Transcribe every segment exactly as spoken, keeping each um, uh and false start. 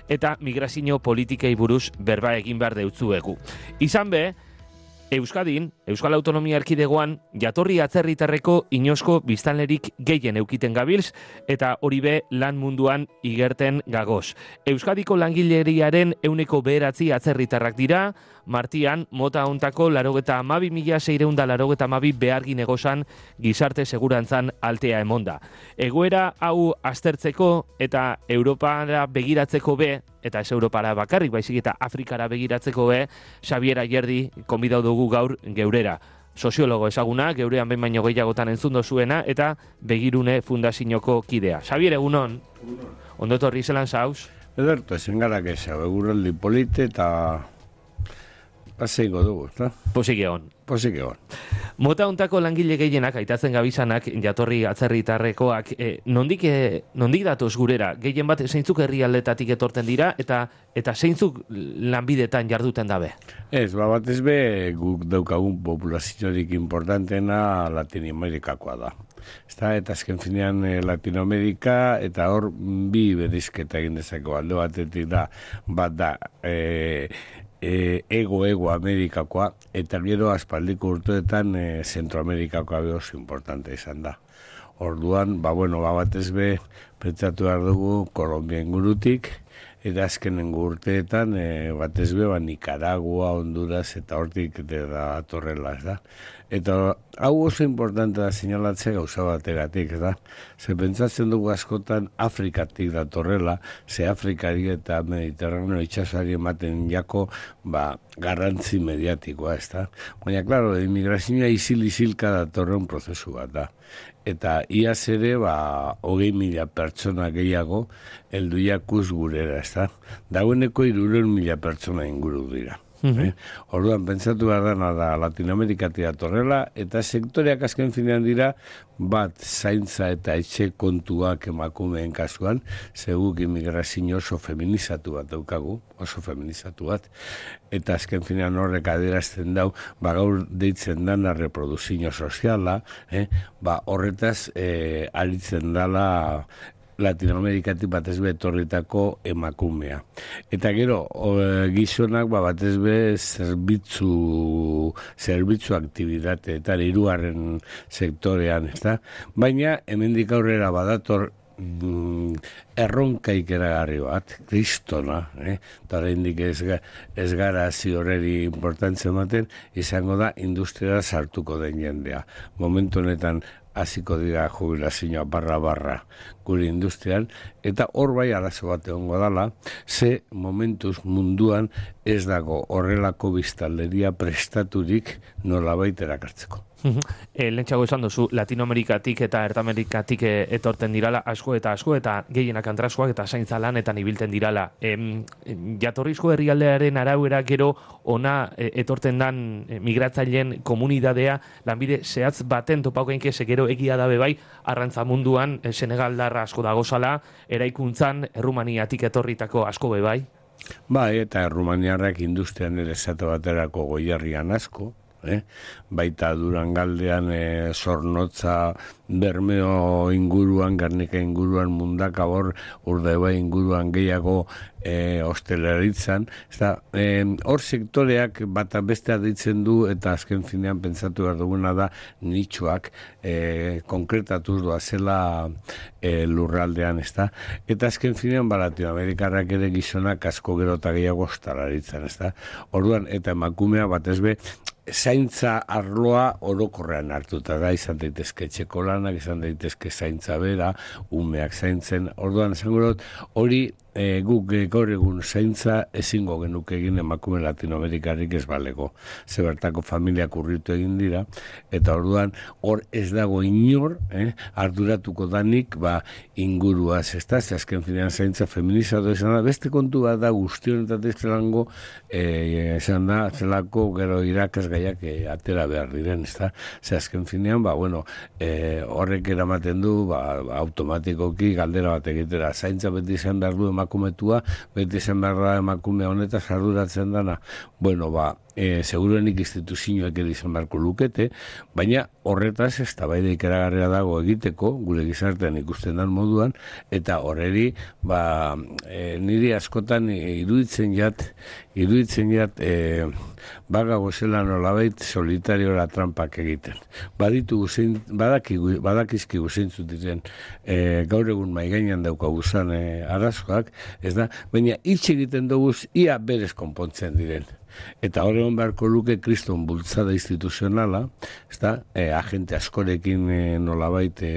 eta migrazio politikei buruz berba egin behar deutzuegu. Izan be, Euskadin, Euskal Autonomia Erkidegoan, jatorri atzerritarreko inosko biztanlerik gehien eukiten gabilz, eta hori be lan munduan igerten gagoz. Euskadiko langileriaren euneko beheratzi atzerritarrak dira, Martian, mota hontako larogeta amabi mila seireunda larogeta amabi behargin egozan gizarte segurantzan altea emonda. Egoera hau aztertzeko eta Europara begiratzeko be, eta ez Europara bakarrik, baizik eta Afrikara begiratzeko be, Xabier Ayerdi konbidau dugu gaur geurera. Soziologo ezaguna, geurean behin baino gehiagotan entzundo zuena, eta Begirune Fundazioko kidea. Xabier, egunon? Ondo etorri zelan zauz? Ederto, ezen gara keza, eguraldi polite eta paseiko dugu, eta? Posik egon. Posik egon. Mota hontako langile gehienak, aitatzen gabizanak, jatorri atzerritarrekoak, eh, nondik, eh, nondik datoz gurera? Gehien bat, zeintzuk herrialdetatik etorten dira, eta eta zeintzuk lanbidetan jarduten dabe? Ez, ba, batez be, guk daukagun populaziorik importantena Latinoamerikakoa da. Ezta, eta azken finean eh, Latinoamerika, eta hor bi berizketa egin dezako alde batetik da, bat da, eh, ego-ego Amerikakoa, eta gero aspaldiko urteetan e, Zentroamerikakoa oso importante izan da. Orduan, ba, bueno, ba, batez be, pentsatu behar dugu Kolombia ingurutik, eta azkenengo urteetan, e, batez be, ba, Nicaragua, Honduras, eta hortik da torrela, ez da. Eta hau oso importante da seinalatzea gauza bategatik, ez da. Ze pentsatzen dugu askotan Afrikatik da torrela, ze Afrikari eta Mediterraneo itxasari ematen jako, ba, garrantzi mediatikoa, ez da. Baina, klaro, immigrazioa isil-isilka da torren prozesu bat da. Eta iaz ere, ba, hogei mila pertsona gehiago helduiakuz gurera, ez da. Dagoeneko hirurehun mila pertsona inguru dira. Mm-hmm. Eh? Orduan, pentsatu behar dana da Latinoamerikatik datorrela, eta sektoreak azken finean dira, bat zaintza eta etxe kontuak emakumeen kasuan, zeguk immigrazio oso feminizatu bat daukagu, oso feminizatu bat, eta azken finean horrek adierazten dau, ba gaur deitzen dana reproduzio soziala, eh? Ba horretaz eh, aritzen dala Latinoamerikatik batez be etorritako emakumea. Eta gero, o, gizonak ba, batez be zerbitzu, zerbitzu aktibitate eta hirugarren sektorean, ezta? Baina, hemendik aurrera badator mm, erronkaik eragarri bat, kristona, eh? Eta oraindik ez, ez gara ziorreri importantzen ematen, izango da industria sartuko den jendea. Momentu honetan, hasiko dira jubilazioa barra-barra gure industrian, eta hor bai arazo bat egongo dala, ze momentuz munduan ez dago horrelako biztanleria prestaturik nolabait erakartzeko. E, Lentsago esan duzu, Latinoamerikatik eta Ertamerikatik e, etorten dirala asko eta asko, eta gehienak antraskoak eta zaintza lanetan ibilten dirala. E, jatorrizko herrialdearen arauera gero ona e, etorten dan e, migratzaileen komunidadea lanbide zehatz baten topauko inkese gero egia dabe bai, arrantza munduan e, Senegaldarra asko dagozala, eraikuntzan Errumaniatik etorritako asko be bai? Bai, eta Errumaniarrak industrian ere esate baterako goierrian asko, Eh? Baita Durangaldean eh, Zornotza, Bermeo inguruan, Garnika inguruan, Mundaka hor, Urdaibai inguruan gehiago eh, ostelaritzan. Hor eh, sektoreak bata bestea ditzen du, eta azken finean pentsatu behar duguna da nitxoak eh, konkretatuz doa zela eh, lurraldean, ezta? Eta azken finean ba, Latinoamerikarrak ere gizonak asko gero eta gehiago ostelaritzan, ezta? Orduan, eta emakumea batez be, zaintza arloa orokorrean hartuta da, izan daitezke etxeko lanak, izan daitezke zaintza bera, umeak zaintzen, orduan esango dut, hori e, guk gaur egun zaintza ezingo genuke egin emakume Latinoamerikarik ez balego. Zebertako familiak urritu egin dira, eta orduan hor ez dago inor, eh, arduratuko danik, ba, inguruaz, ez da, azken finean zaintza feminizatu izan da, beste kontu bat da guztionetatik zelango, eh, esan da, zelako gero irakaz gaiak eh, atera behar diren, ez da, ze azken finean, ba, bueno, eh, horrek eramaten du, ba, automatikoki galdera bat egitera, zaintza beti izan behar du emakumetua, beti izan behar da emakume honetaz arduratzen dana, bueno, ba, e, seguruenik instituzioak ere izan beharko lukete, baina horretaz ez tabaida ikaragarria dago egiteko, gure gizartean ikusten dan moduan, eta horreri, ba, e, niri askotan iruditzen jat, iruditzen jat, e, baga gozela nolabait solitariora trampak egiten. Baditu guzein, badaki, badakizki guzeintzu diren e, gaur egun maigainan daukaguzan e, arazkoak, ez da, baina hitz egiten dugu ia berez konpontzen diren. Eta horregon beharko luke kriston bultzada instituzionala, ez da, e, agente askorekin e, nolabait e,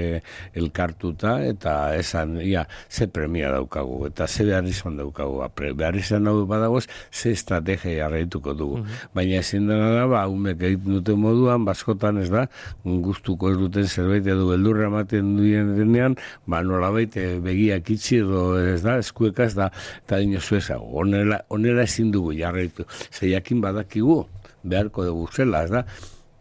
elkartuta, eta esan, ia, ze premia daukagu, eta ze behar izan daukagu, behar izan hau badagoz, ze estrategia jarraituko dugu. Mm-hmm. Baina ezin dena da, ba, umek egiten duten moduan, baskotan ez da, gustuko ez duten zerbait edo beldurra ematen duen denean, ba, nolabait e, begiak itxi edo ez da, eskuekaz da, eta dinozu ez, onela, onela ezin dugu jarraitu. Jakin badakigu, beharko dugu zela, ez da,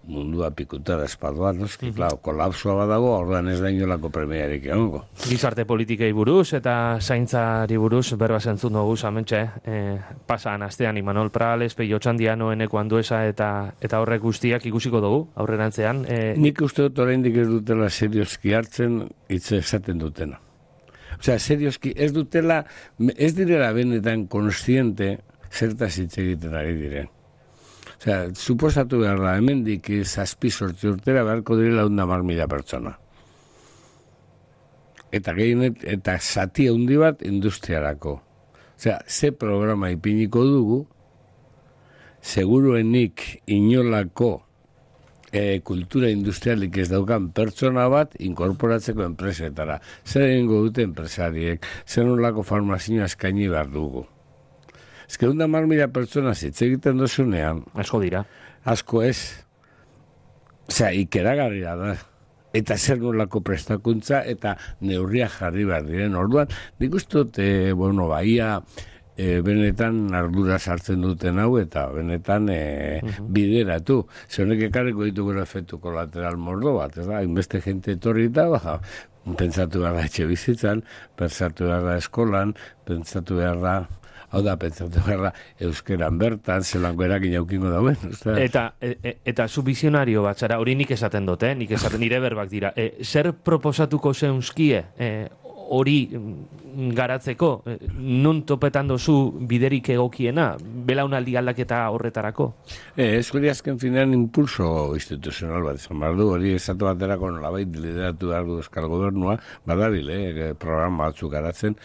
mundua pikutada espaduan, noski, mm-hmm. Klar, kolapsoa badago, ordan ez da inolako premiarik egongo. Gizarte politikei buruz eta zaintzari buruz, berba zentzun dugu zamentxe, eh, pasan astean Imanol Prales, Peio Txandiano, Eneko Andueza eta eta horrek guztiak ikusiko dugu, aurrerantzean. Eh, Nik uste dut oraindik ez dutela serioski hartzen, hitz esaten dutena. Osea, serioski ez dutela, ez direla benetan konstiente, zertaz hitz egiten ari diren. Osea, suposatu behar da, hemendik zazpi sortzi urtera beharko direla hunda mar mila pertsona. Eta gehienet, eta zati handi bat industriarako. Osea, ze programa ipiniko dugu, seguruenik inolako e, kultura industrialik ez daukan pertsona bat inkorporatzeko enpresetara. Zer egingo dute enpresariek, zer nolako farmazioa eskaini behar dugu. Ez que hunda mar mila pertsona zitz egiten dozunean. Asko dira. Asko ez. Osea, ikeragarria da. Eta zer nolako prestakuntza eta neurria jarri behar diren. Orduan, nik uste dut, e, bueno, baia e, benetan ardura sartzen duten hau eta benetan e, uh-huh. bideratu. Zer honek ekarriko ditugu efektu kolateral mordo bat, ez da? Inbeste jente etorri eta, baja, pentsatu behar da etxe bizitzan, pentsatu behar da eskolan, pentsatu behar da... Hau da, pentsatu gara, euskeran bertan, zelango erakin jaukingo dauen. Eta, e, eta zu bizionario bat, zara, hori nik esaten dut, eh? Nik esaten nire berbak dira. E, zer proposatuko zeunzkie e, hori garatzeko? E, nun topetan dozu biderik egokiena? Belaunaldi aldaketa horretarako? E, ez hori azken finean impulso instituzional bat izan behar du, hori esatu baterako nolabait lideratu behar du Euskal Gobernua, badabile, eh, programa batzuk garatzen,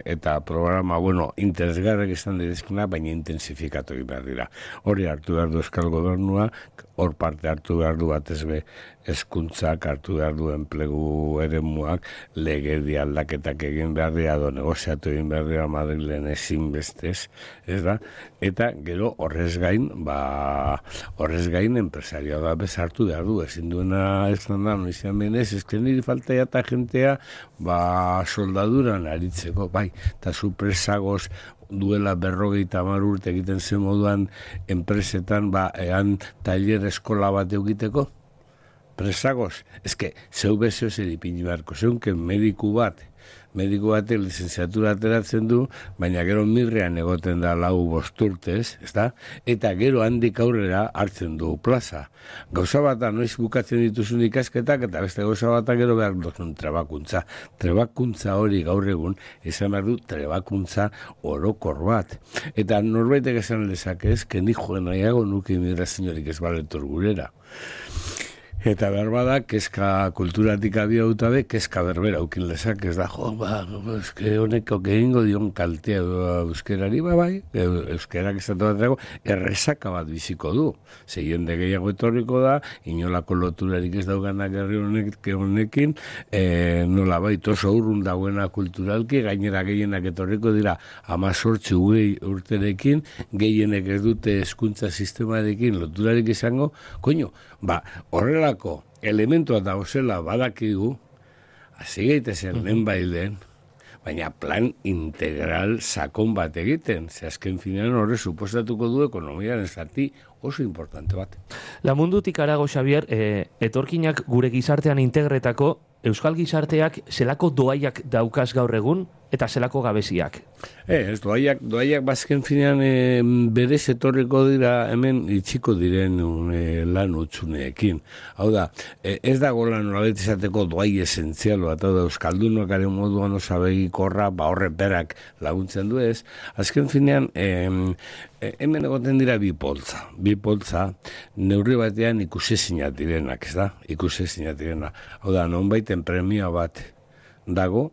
eta programa, bueno, interesgarrek izan direzkena, baina intensifikatu egin behar dira. Hori hartu behar du Euskal Gobernua, hor parte hartu behar du batez be hezkuntzak, hartu behar du enplegu eremuak, legedi aldaketak egin behar dira, do negoziatu egin behar dira Madrilen ezin bestez, ez da? Eta gero horrez gain, ba, horrez gain enpresarioa da bezartu behar du, ezin duena ez da, noizian benez, ez que niri falta eta jentea, ba, soldaduran aritzeko, bai, eta supresagoz duela berrogeita hamar urte egiten zen moduan enpresetan, ba, ean tailer eskola bat egiteko, presagoz, ez que, zeu bezeo zer ipini beharko, zeunken mediku bat, mediku batek lizenziatura ateratzen du, baina gero mirrean egoten da lau bosturtez, ezta? Eta gero handik aurrera hartzen du plaza. Gauza bata noiz bukatzen dituzun ikasketak, eta beste gauza bata gero behar duzun trebakuntza. Trebakuntza hori gaur egun, esan behar du trebakuntza orokor bat. Eta norbaitek esan lezake ez, que ni joen nahiago nuke imigraziorik ez baletor gurera. Eta berbada, kezka kulturatik abiauta be, kezka berbera ukin lezak, ez da, jo, ba, eske honeko gehingo dion kaltea euskerari, ba, bai, euskerak estatu bat dago, errezaka bat biziko du. Ze jende gehiago etorriko da, inolako loturarik ez dauganak herri honek, honekin, e, nola bait oso urrun dagoena kulturalki, gainera gehienak etorriko dira, amazortzi ugei urterekin, gehienek ez dute hezkuntza sistemarekin loturarik izango, koño, ba, horrela elementua da osela badakigu, hasi gaitezen lehen bailen, baina plan integral sakon bat egiten, ze azken finean horre suposatuko du ekonomiaren zati oso importante bat. La mundutik arago, Xabier, e, etorkinak gure gizartean integretako Euskal gizarteak zelako doaiak daukaz gaur egun eta zelako gabeziak? E, ez, doaiak, doaiak bazken finean e, berez etorreko dira hemen itxiko diren e, lan utzuneekin. Hau da, e, ez dago lan nolabait izateko doai esentzialo, eta da Euskaldunokaren moduan osabegikorra, ba horre berak laguntzen du ez. Azken finean, e, e, hemen egoten dira bi poltza. Bi poltza, neurri batean ikusezinak direnak, ez da? Ikusezinak direnak. Hau da, nonbaiten premia bat dago,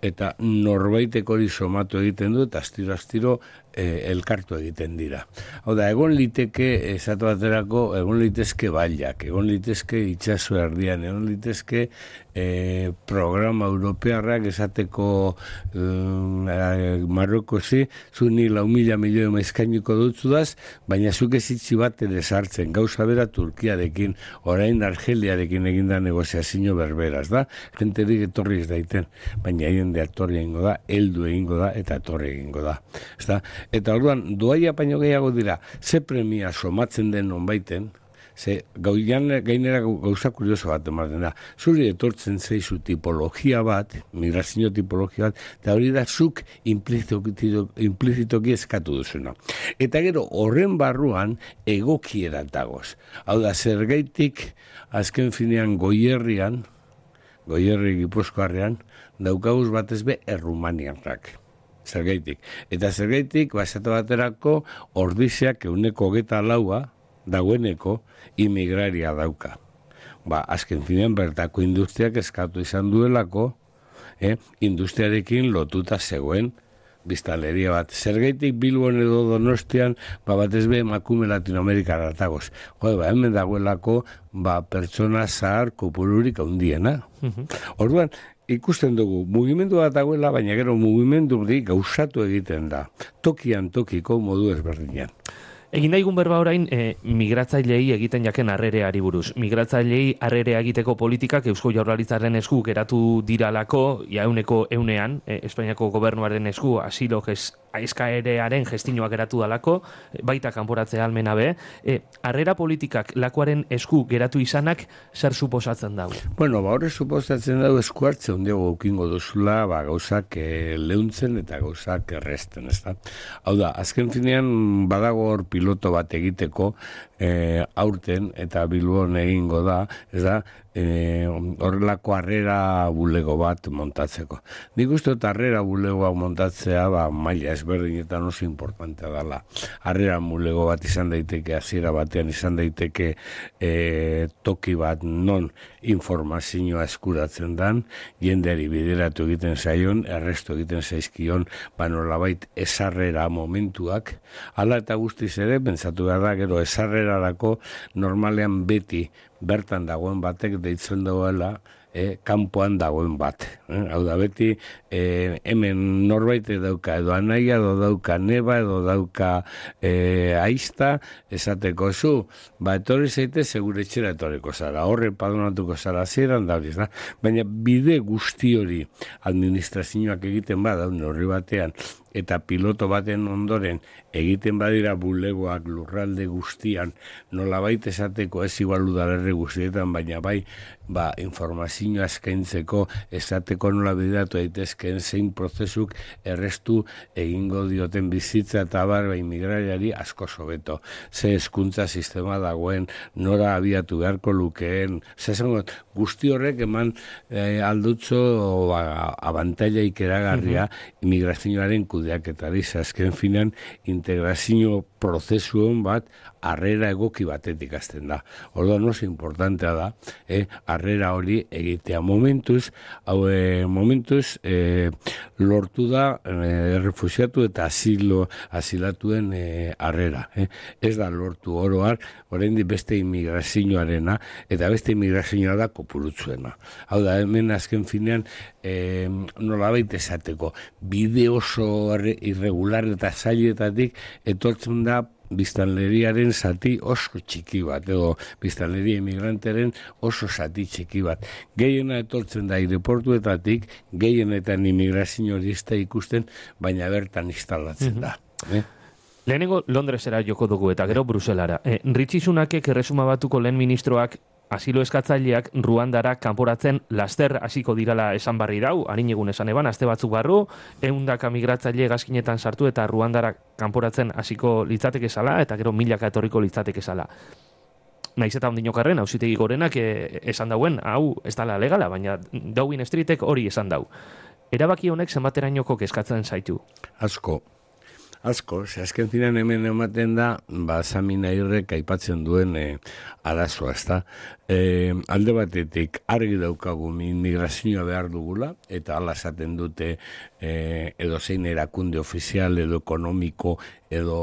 eta norbaitek hori somatu egiten du, eta astiro-astiro e, elkartu egiten dira. Hau da, egon liteke, esatu baterako, egon litezke bailak, egon litezke itxaso erdian, egon litezke e, programa europearrak esateko um, Marrokozi, zu ni lau mila milioi maizkainiko dutzudaz, baina zuk ezitzi bat ere sartzen, gauza bera Turkiarekin, orain Argeliarekin eginda negoziazio berberaz, da? Jenterik etorri ez daiten, baina haien de etorri egingo da, heldu egingo da, eta etorri egingo da. Ezta? Eta orduan, doaia baino gehiago dira, ze premia somatzen den nonbaiten, ze gauian gainera gauza kurioso bat ematen da. Zuri etortzen zeizu tipologia bat, migrazio tipologia bat, eta hori da zuk implizitoki eskatu duzuna. Eta gero, horren barruan egokiera dagoz. Hau da, zergaitik azken finean Goierrian, Goierri Gipuzkoarrean, daukaguz batez be errumaniarrak. Zergaitik. Eta zergaitik, basatu baterako, ordizeak euneko hogeta laua, dagoeneko, imigraria dauka. Ba, azken finean bertako industriak eskatu izan duelako, eh, industriarekin lotuta zegoen biztanleria bat. Zergaitik Bilbon edo Donostian, ba, batez be emakume Latinoamerikara ratagoz. Jo, ba, hemen dagoelako, ba, pertsona zahar kopururik handiena. Uh-huh. Orduan, ikusten dugu, mugimendu bat dagoela, baina gero mugimendu hori gauzatu egiten da. Tokian tokiko modu ezberdinean. Egin daigun berba orain, e, migratzailei egiten jaken harrereari buruz. Migratzailei harrerea egiteko politikak Eusko Jaurlaritzaren esku geratu diralako, jauneko eunean, e, Espainiako gobernuaren esku, asilo gez, eskaerearen gestinoa geratu dalako, baita kanporatzea almena be. E, harrera politikak lakuaren esku geratu izanak, zer suposatzen dago? Bueno, ba, horre suposatzen dago esku hartze ondiago ukingo duzula, ba, gauzak e, leuntzen eta gauzak erresten, ez da? Hau da, azken finean badago hor piloto bat egiteko e, aurten eta Bilbon egingo da, ez da, e, horrelako harrera bulego bat montatzeko. Nik uste dut harrera bulegoa montatzea, ba, maila ezberdinetan oso importantea dela. Harrera bulego bat izan daiteke, hasiera batean izan daiteke e, toki bat non informazioa eskuratzen dan, jendeari bideratu egiten zaion, errestu egiten zaizkion, ba nolabait esarrera momentuak, hala eta guztiz ere, pentsatu behar da, gero esarrerarako normalean beti bertan dagoen batek deitzen dagoela, E, kanpoan dagoen bat. Eh? Hau da, beti e, hemen norbait dauka edo anaia, edo dauka neba, edo dauka e, aizta, esateko zu, ba, etorri zaite, segure etxera etorriko zara, horre padonatuko zara zeran da hori, da? Baina bide guzti hori administrazioak egiten bada, horri batean, eta piloto baten ondoren egiten badira bulegoak lurralde guztian, nolabait esateko ez igual udalerri guztietan, baina bai, ba, informazioa eskaintzeko, esateko nola bideratu daitezkeen zein prozesuk errestu egingo dioten bizitza eta bar, ba, imigrariari asko sobeto. Ze hezkuntza sistema dagoen, nora abiatu beharko lukeen, zesango, guzti horrek eman eh, aldutzo ba, abantaila ikeragarria uh-huh. imigrazioaren kudeaketari, azken finan integrazio prozesuon bat harrera egoki batetik hasten da. Orduan oso importantea da, eh, harrera hori egitea momentuz, hau eh, momentuz eh, lortu da eh, refusiatu eta asilo, asilatuen eh, harrera. Eh. Ez da lortu oroar, oraindik beste imigrazioarena, eta beste imigrazioa da kopurutzuena. Hau da, hemen azken finean eh, nolabait esateko, bide oso irregular eta zailetatik etortzen da biztanleriaren zati oso txiki bat, edo biztanleria emigranteren oso zati txiki bat. Gehiena etortzen da aireportuetatik, gehienetan imigrazioista ikusten, baina bertan instalatzen da. Mm-hmm. eh? Lehenengo Londresera joko dugu eta gero Bruselara. Eh, Rishi Sunakek erresuma batuko lehen ministroak asilo eskatzaileak Ruandara kanporatzen laster hasiko dirala esan barri dau, harin egun esan eban, aste batzuk barru, eundaka migratzaile gazkinetan sartu eta Ruandara kanporatzen hasiko litzateke zala, eta gero milaka etorriko litzateke zala. Naiz eta ondinokarren, auzitegi gorenak e, esan dauen, hau ez dala legala, baina Downing Streetek hori esan dau. Erabaki honek zenbaterainoko kezkatzen zaitu? Asko. Asko, ze azken ziren hemen ematen da, ba, Samina Irrek aipatzen duen e, arazoa, ezta? E, alde batetik argi daukagu migrazioa behar dugula, eta hala esaten dute e, edo zein erakunde ofizial, edo ekonomiko, edo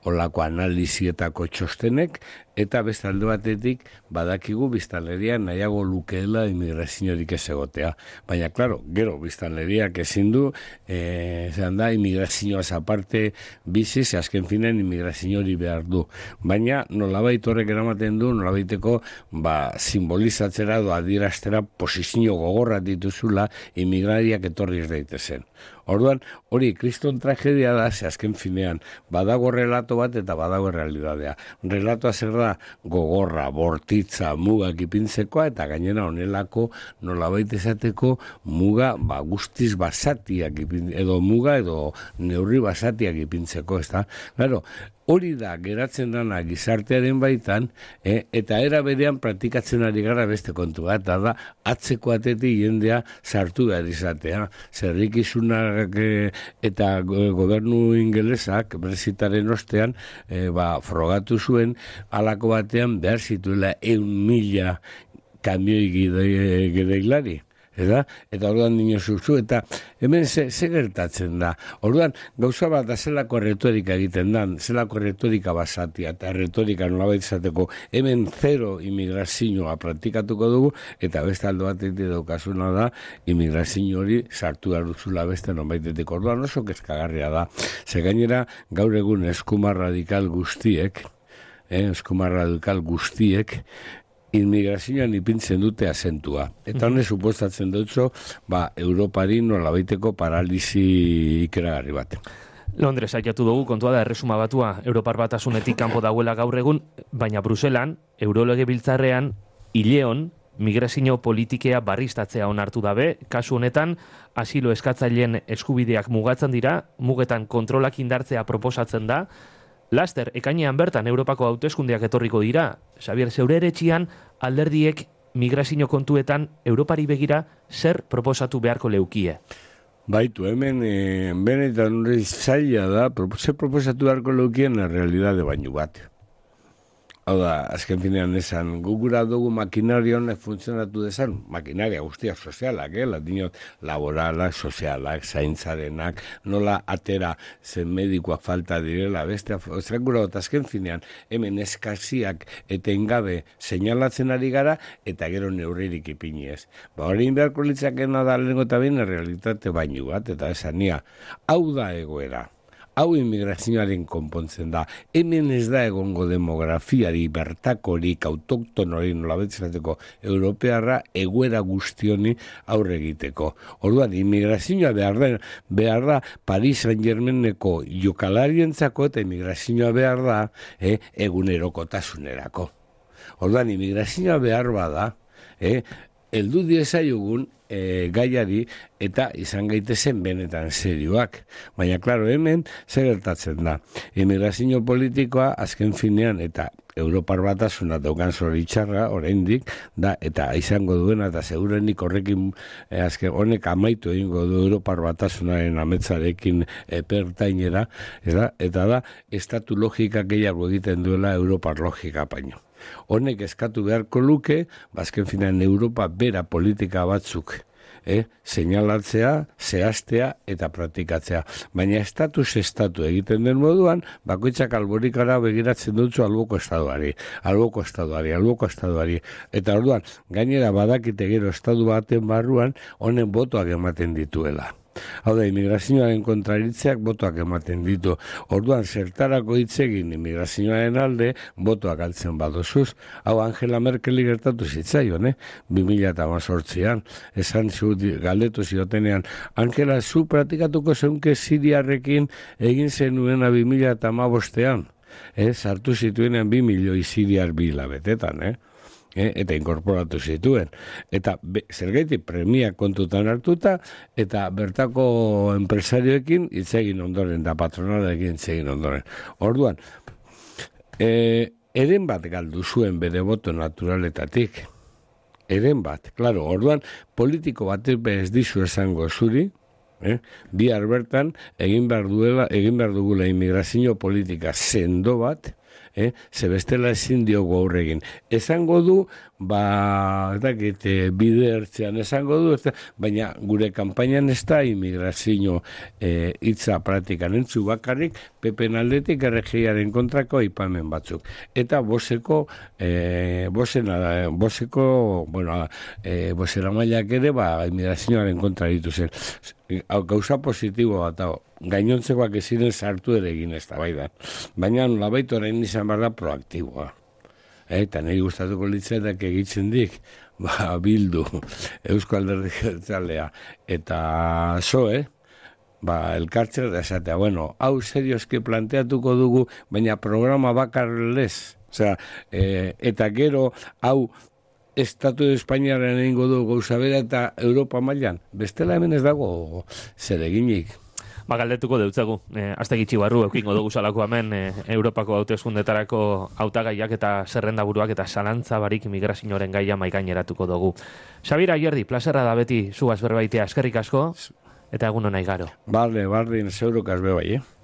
olako analizietako txostenek, eta beste alde batetik badakigu biztanleria nahiago lukeela immigraziorik ez egotea. Baina, klaro, gero biztanleriak ezin du, e, zean da, immigrazioaz aparte bizi, ze azken finen immigrazioari behar du. Baina, nolabait horrek eramaten du, nolabaiteko, ba, simbolizatzera edo adieraztera posizio gogorra dituzula immigrariak etorri ez daitezen. Orduan, hori kriston tragedia da, ze azken finean, badago relato bat eta badago realidadea. Relatoa zer da gogorra, bortitza, mugak ipintzekoa, eta gainera honelako nolabait esateko muga ba, guztiz basatiak ipin, edo muga edo neurri basatiak ipintzeko, ez da? Claro, hori da, geratzen dana gizartearen baitan, eh, eta era berean praktikatzen ari gara beste kontu bat, eta da, atzeko atetik jendea sartu behar izatea. Zerrikizunak eh, eta gobernu ingelesak, Brexitaren ostean, eh, ba, frogatu zuen, halako batean behar zituela eun mila kamioi gideilari. Eta, eta orduan dino zuzu, eta hemen ze, ze gertatzen da. Orduan, gauza bat da zelako retorika egiten da, zelako retorika basatia, eta retorika nolabait izateko hemen zero immigrazioa praktikatuko dugu, eta beste aldo batetik daukasuna da, immigrazio hori sartu duzula beste nonbaitetik. Orduan oso kezkagarria da. Ze gainera, gaur egun eskuma radikal guztiek, eh, eskuma radikal guztiek, immigrazioan ipintzen dute azentua. Eta honek suposatzen dutzo, ba, Europari nolabaiteko paralisi ikeragarri bat. Londres aiatu dugu, kontua da erresuma batua Europar Batasunetik kanpo dauela gaur egun, baina Bruselan, Eurolege biltzarrean, hileon, migrazio politikea barriztatzea onartu dabe, kasu honetan, asilo eskatzaileen eskubideak mugatzen dira, mugetan kontrolak indartzea proposatzen da. Laster, ekainean bertan Europako hauteskundeak etorriko dira. Xabier, zeure eretxian alderdiek migrazio kontuetan Europari begira zer proposatu beharko leukie? Baitu, hemen e, benetan hori zaila da, zer proposatu beharko leukien na realidade baino bat. Hau da, azken finean esan, gugura dugu makinaria honek funtzionatu dezan, makinaria guztiak sozialak, eh? Latinot, laboralak, sozialak, zaintzarenak, nola atera zen medikoak falta direla, beste, ozrakura dut, azken finean, hemen eskaziak etengabe seinalatzen ari gara, eta gero neurririk ipiniez. Ba, hori inbeharko litzakena da lehenko eta baina realitate baino bat, eta esan nia, hau da egoera. Hau immigrazioaren konpontzen da. Hemen ez da egongo demografiari, bertakorik, autoktonori, nolabetzateko europearra, egoera guztioni aurre egiteko. Orduan, immigrazioa behar da, behar da Paris Saint-Germaineko jokalarientzako eta immigrazioa behar da eh, egunerokotasunerako. Orduan, immigrazioa behar bada, eh, heldu diezaiogun e, gaiari eta izan gaitezen benetan serioak. Baina, klaro, hemen zer gertatzen da. Immigrazio politikoa azken finean eta Europar Batasuna daukan zoritxarra, oraindik, da, eta izango duena, eta segurenik horrekin e, azken honek amaitu egingo du Europar Batasunaren ametzarekin epertainera, eta, eta da, estatu logika gehiago egiten duela Europar logika paino. Honek eskatu beharko luke, bazken finan Europa bera politika batzuk, eh? Seinalatzea, zehaztea eta praktikatzea. Baina estatus estatu egiten den moduan, bakoitzak alborikara begiratzen dutzu alboko estaduari, alboko estaduari, alboko estaduari. Eta orduan, gainera badakite gero estadu baten barruan, honen botoak ematen dituela. Hau da, immigrazioaren kontraritzeak botoak ematen ditu. Orduan, zertarako hitzegin immigrazioaren alde, botoak altzen badozuz. Hau, Angela Merkeli gertatu zitzaion, eh? bi mila hemezortzian, esan zu, galdetu ziotenean, Angela, zu praktikatuko zeunke Siriarrekin egin zenuena bi mila hamabostean. Eh? Sartu zituenean bi milioi Siriar bilabetetan, eh? eh, eta inkorporatu zituen. Eta be, zergaitik premia kontutan hartuta, eta bertako enpresarioekin hitz egin ondoren, da patronalekin hitz egin ondoren. Orduan, eh, eren bat galdu zuen bere boto naturaletatik. Eren bat, klaro, orduan, politiko bat ez dizu esango zuri, eh? bihar bertan, egin behar duela, egin behar dugula immigrazio politika sendo bat, eh? ze bestela ezin diogu aurregin. Esango du, ba, ez dakit, bide ertzean esango du, ez da, baina gure kanpainan ez da immigrazio eh, hitza praktikan entzu bakarrik, pepen aldetik erregiaren kontrako aipamen batzuk. Eta boseko, eh, bosena, boseko, bueno, eh, bosera mailak ere, ba, immigrazioaren kontra dituzen. Gauza positibo bat, hau, gainontzekoak eziren sartu ere egin ez da, bai da. Baina nolabait orain izan behar da proaktiboa. Eta niri gustatuko litzatak egitzen dik, ba, Bildu, Eusko Alderdi Jeltzalea, eta zoe, ba, elkartzea da esatea, bueno, hau serioski planteatuko dugu, baina programa bakarrelez, osea, e, eta gero, hau, Estatu Espainiaren egingo du gauza bera eta Europa mailan, bestela hemen ez dago zer eginik. Ba, galdetuko deutzagu. E, Azte gitxi barru, eukingo dugu salako hemen, e, Europako hauteskundetarako hautagaiak eta zerrenda buruak eta zalantza barik migrazioaren gaia maigaineratuko dugu. Xabira Aierdi, plazerra da beti zugaz berbaitea, eskerrik asko, eta egun honai garo. Bale, bardin, zeurokaz bebai, eh?